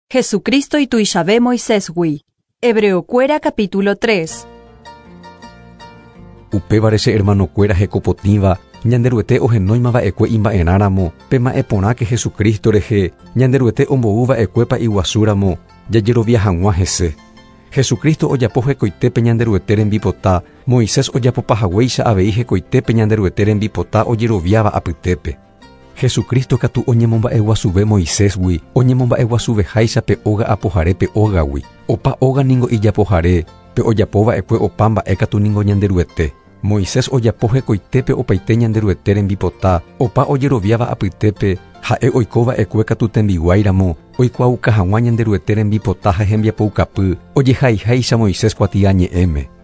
Jesucristo ituichave Moisésgui. Hebreokuéra capítulo 3. Upévare che hermanokuéra hekopotĩva, Ñanderuete ohenóima va'ekue imba'erãramo, pema'ẽ porãke Jesucristo rehe, Ñanderuete ombou va'ekue pa'iguasúramo, jajerovia hag̃ua hese. Jesucristo ojapo hekoitépe Ñanderuete rembipota, Moisés ojapopahaguéicha avei hekoitépe Ñanderuete rembipota ojeroviáva apytépe. Jesucristo katu oñemomba'eguasuve Moisésgui, oñemomba'eguasuveháicha pe óga apohare pe ógagui. Opa óga ningo ijapohare, pe ojapo va'ekue opa mba'e katu ningo Ñanderuete. Moisés ojapo hekoitépe opaite Ñanderuete rembipota, opa ojeroviáva apytépe, ha'e oiko va'ekue katu tembiguái ramo, oikuaauka hag̃ua Ñanderuete rembipota ha hembiapoukapy, ojehaiháicha Moisés kuatiañe'ẽme.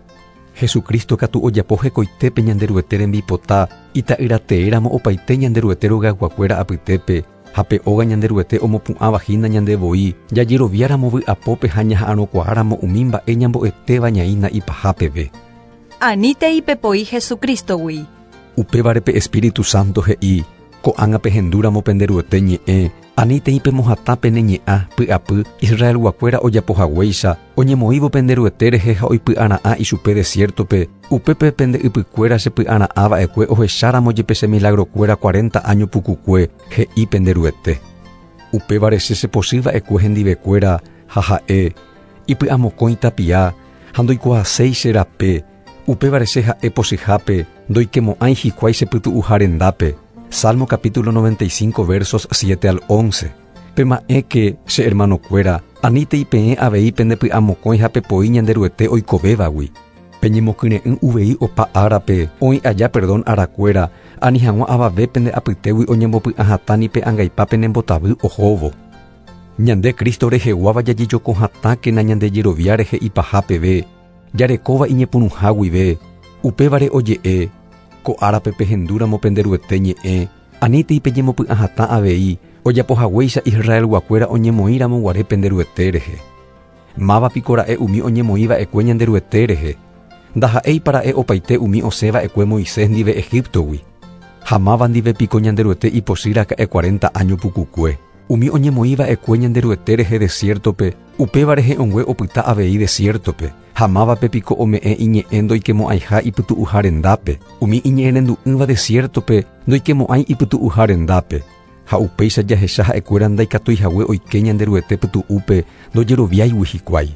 Jesucristo katu ojapo hekoitépe Ñanderuete rembipota, ita'yrateéramo opaite Ñanderuete rogayguakuéra apytépe, ha pe óga Ñanderuete omopu'ãva hína ñande voi, jajeroviáramo vy'apópe ha ñaha'arõkuaáramo umi mba'e ñambo'etéva ñaína ipaha peve. Anítei pepoi Jesucristo-gui. Upévare pe Espíritu Santo he'i, Ko'ág̃a pehendúramo pende Ruete ñe'ẽ, anítei pemohatã pene ñe'ã, py'apy, Israelguakuéra ojapo haguéicha, oñemoĩvo pende Ruete rehe ha oipy'ara'ã ichupe desiértope, upépe pende ypykuéra chepy'ara'ã va'ekue ohecháramo jepe che milagrokuéra cuarenta áño pukukue, he'i pende Ruete. Upévare che chepochy va'ekue hendivekuéra, ha ha'e, ipy'amokõi tapia, ha ndoikuaaséi che rape, upévare che ha'e pochyhápe, ndoikemo'ãi hikuái che pytu'uha rendápe. Salmo capítulo 95 versos 7 al 11. Pema'ẽke, che hermanokuéra, anítei peẽ avei pende py'amokõi ha pepoi Ñanderuete oikovévagui. Peñemokyre'ỹ uvei opa árape, oĩ aja perdón arakuéra, ani hag̃ua avave pende apytégui oñembopy'ahatã ni pe angaipa penembotavy ohóvo. Ñande Cristo reheguáva jajejoko hatãkena ñande jerovia rehe ipaha peve, jarekóva iñepyrũha guive, upévare oje'e, Ko árape pehendúramo pende Ruete ñe'ẽ, anítei peñemopy'ahatã avei, ojapo haguéicha Israelguakuéra oñemoĩ ramo guare pende Ruete rehe. Máva piko ra'e umi oñemoĩ va'ekue ñande Ruete rehe? Ndaha'éipa ra'e opaite umi osẽ va'ekue Moisés ndive Egíptogui? Ha máva ndive piko Ñanderuete ipochy raka'e cuarenta áño pukukue? Umi oñemoĩ va'ekue Ñanderuete rehe desiértope, upéva rehe'õngue opyta avei desiértope. Ha mávape piko ome'ẽ iñe'ẽ ndoikemo'ãiha ipytu'uha rendápe? Umi iñe'ẽrendu'ỹva desiértope ndoikemo'ãi ipytu'uha rendápe. Ha upéicha jahecha ha'ekuéra ndaikatúi hague oike Ñanderuete pytu'úpe ndojeroviáigui hikuái.